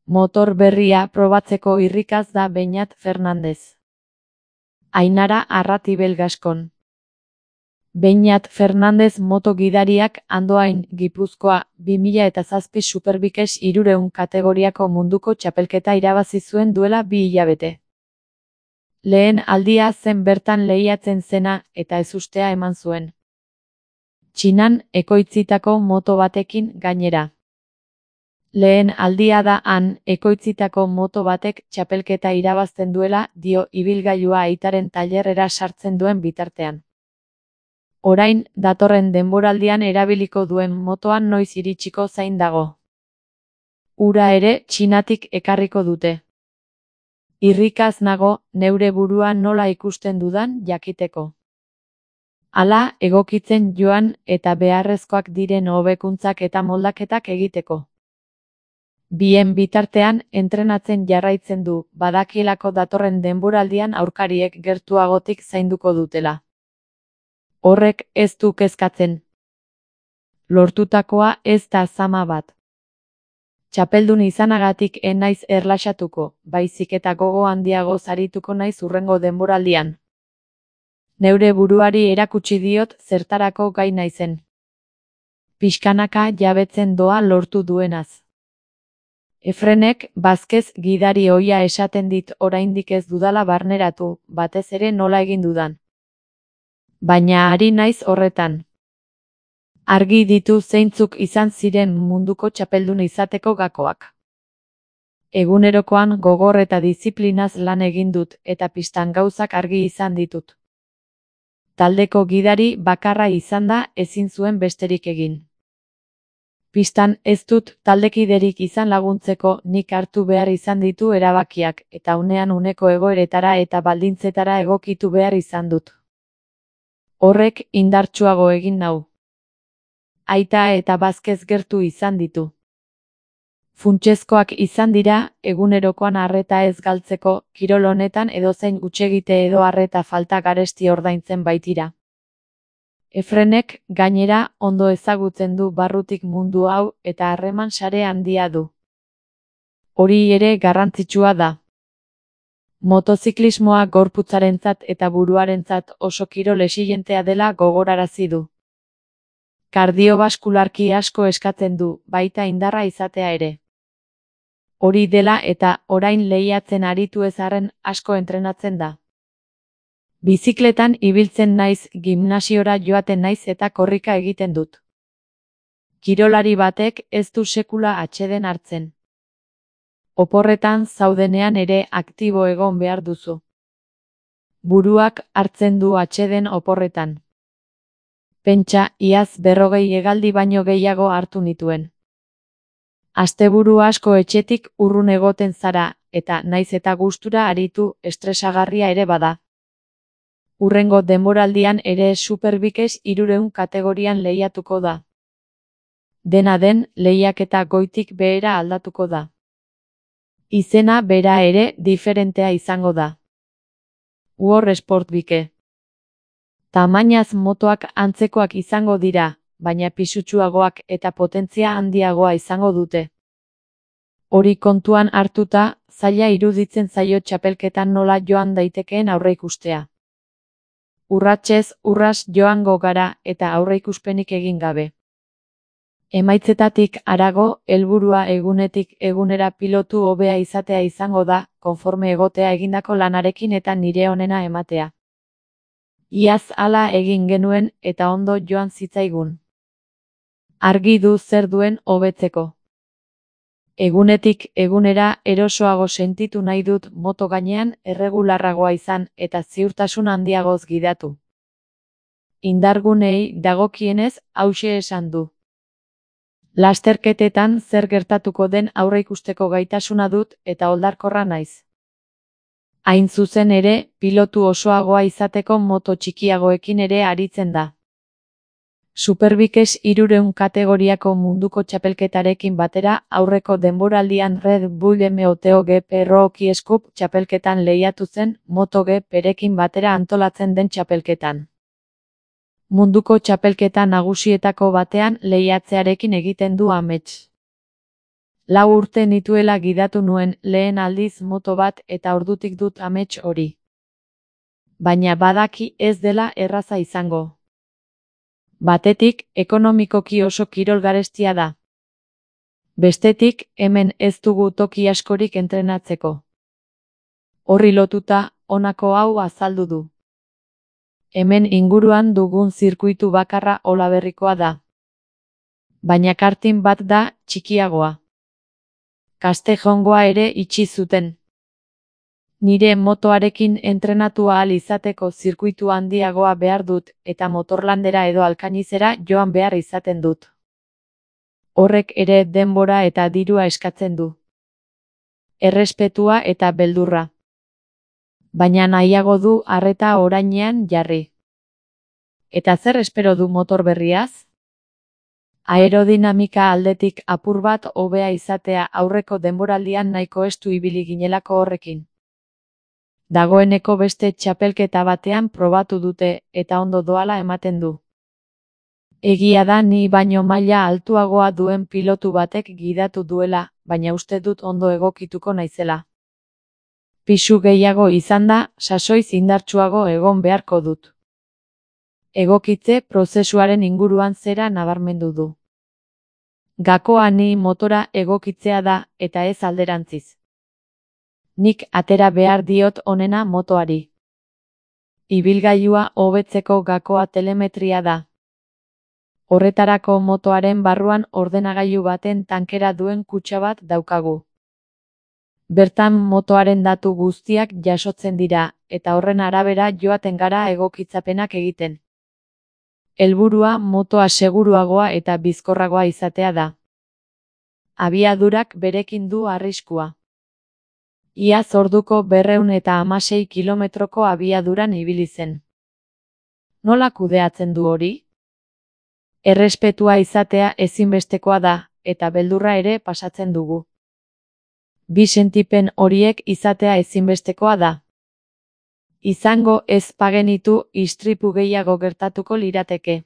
Motor berria probatzeko irrikaz da Beñat Fernandez. Ainara Arratibel Gaskon. Beñat Fernandez moto gidariak Andoain, Gipuzkoa, 2007 Superbikes 300 kategoriako munduko txapelketa irabazi zuen duela 2 hilabete. Lehen aldia zen bertan lehiatzen zena eta ezustea eman zuen. Txinan ekoitzitako moto batekin gainera. Lehen aldia da han ekoitzitako moto batek txapelketa irabazten duela, dio ibilgailua aitaren tailerrera sartzen duen bitartean. Orain, datorren denboraldian erabiliko duen motoan noiz iritsiko zain dago. Ura ere Txinatik ekarriko dute. Irrikaz nago, neure burua nola ikusten dudan jakiteko. Hala, egokitzen joan eta beharrezkoak diren hobekuntzak eta moldaketak egiteko. Bien bitartean, entrenatzen jarraitzen du, badakielako datorren denboraldian aurkariek gertuagotik zainduko dutela. Horrek ez du kezkatzen. Lortutakoa ez da zama bat. Txapeldun izanagatik ez naiz erlaxatuko, baizik eta gogo handiago zarituko naiz hurrengo denboraldian. Neure buruari erakutsi diot zertarako gai naizen. Pixkanaka jabetzen doa lortu duenaz. Efrenek Vázquez gidari ohia esaten dit oraindik ez dudala barneratu, batez ere nola egin dudan. Baina ari naiz horretan. Argi ditu zeintzuk izan ziren munduko txapeldun izateko gakoak. Egunerokoan gogor eta diziplinaz lan egin dut eta pistan gauzak argi izan ditut. Taldeko gidari bakarra izan da ezin zuen besterik egin. Pistan ez dut taldekiderik izan laguntzeko nik hartu behar izan ditu erabakiak eta unean uneko egoeretara eta baldintzetara egokitu behar izan dut. Horrek indartsuago egin nau. Aita eta Vázquez gertu izan ditu. Funtsezkoak izan dira, egunerokoan arreta ez galtzeko, kirol honetan edozein hutsegite edo arreta falta garesti ordaintzen baitira. Efrenek, gainera, ondo ezagutzen du barrutik mundu hau eta harreman sare handia du. Hori ere garrantzitsua da. Motoziklismoa gorputzarentzat eta buruarentzat oso kirol exigentea dela gogorarazi du. Kardiobaskularki asko eskatzen du, baita indarra izatea ere. Hori dela eta orain lehiatzen aritu ez arren asko entrenatzen da. Bizikletan ibiltzen naiz, gimnasiora joaten naiz eta korrika egiten dut. Kirolari batek ez du sekula atseden hartzen. Oporretan zaudenean ere aktibo egon behar duzu. Buruak hartzen du atseden oporretan. Pentsa, iaz 40 hegaldi baino gehiago hartu nituen. Asteburu asko etxetik urrun egoten zara, eta naiz eta gustura aritu, estresagarria ere bada. Hurrengo denboraldian ere Superbikes 300 kategorian lehiatuko da. Dena den, lehiaketa goitik behera aldatuko da. Izena bera ere diferentea izango da. World Sportbike. Tamainaz motoak antzekoak izango dira, baina pisutsuagoak eta potentzia handiagoa izango dute. Hori kontuan hartuta, zaila iruditzen zaio txapelketan nola joan daitekeen aurreikustea. Urratsez urras joango gara eta aurreikuspenik egin gabe. Emaitzetatik harago, helburua egunetik egunera pilotu hobea izatea izango da, konforme egotea egindako lanarekin eta nire onena ematea. Iaz hala egin genuen eta ondo joan zitzaigun. Argi du zer duen hobetzeko. Egunetik egunera erosoago sentitu nahi dut moto gainean erregularragoa izan eta ziurtasun handiagoz gidatu. Indargunei dagokienez hauxe esan du. Lasterketetan zer gertatuko den aurreikusteko gaitasuna dut eta oldarkorra naiz. Hain zuzen ere, pilotu osoagoa izateko moto txikiagoekin ere aritzen da. Superbikes 300 kategoriako munduko txapelketarekin batera aurreko denboraldian Red Bull MotoGP Rookie Cup txapelketan lehiatu zen MotoGP-rekin batera antolatzen den txapelketan. Munduko txapelketa nagusietako batean lehiatzearekin egiten du amets. 4 urte nituela gidatu nuen lehen aldiz moto bat eta ordutik dut amets hori. Baina badaki ez dela erraza izango. Batetik, ekonomikoki oso kirol garestia da. Bestetik, hemen ez dugu toki askorik entrenatzeko. Horri lotuta, honako hau azaldu du. Hemen inguruan dugun zirkuitu bakarra Olaberrikoa da. Baina karting bat da txikiagoa. Castejongoa ere itxi zuten. Nire motoarekin entrenatu ahal izateko zirkuitu handiagoa behar dut eta motorlandera edo Alkainizera joan behar izaten dut. Horrek ere denbora eta dirua eskatzen du. Errespetua eta beldurra. Baina nahiago du arreta orainean jarri. Eta zer espero du motor berriaz? Aerodinamika aldetik apur bat hobea izatea aurreko denboraldian nahiko estu ibili ginelako horrekin. Dagoeneko beste txapelketa batean probatu dute eta ondo doala ematen du. Egia da ni baino maila altuagoa duen pilotu batek gidatu duela, baina uste dut ondo egokituko naizela. Pisu gehiago izanda, sasoiz indartsuago egon beharko dut. Egokitze prozesuaren inguruan zera nabarmendu du. Gakoa ni motora egokitzea da eta ez alderantziz. Nik atera behar diot onena motoari. Ibilgailua hobetzeko gakoa telemetria da. Horretarako motoaren barruan ordenagailu baten tankera duen kutxa bat daukagu. Bertan motoaren datu guztiak jasotzen dira, eta horren arabera joaten gara egokitzapenak egiten. Helburua motoa seguruagoa eta bizkorragoa izatea da. Abiadurak berekin du arriskua. Iaz orduko 216 kilometroko abiaduran ibili zen. Nola kudeatzen du hori? Errespetua izatea ezinbestekoa da, eta beldurra ere pasatzen dugu. Bi sentipen horiek izatea ezinbestekoa da. Izango ez bagenitu istripu gehiago gertatuko lirateke.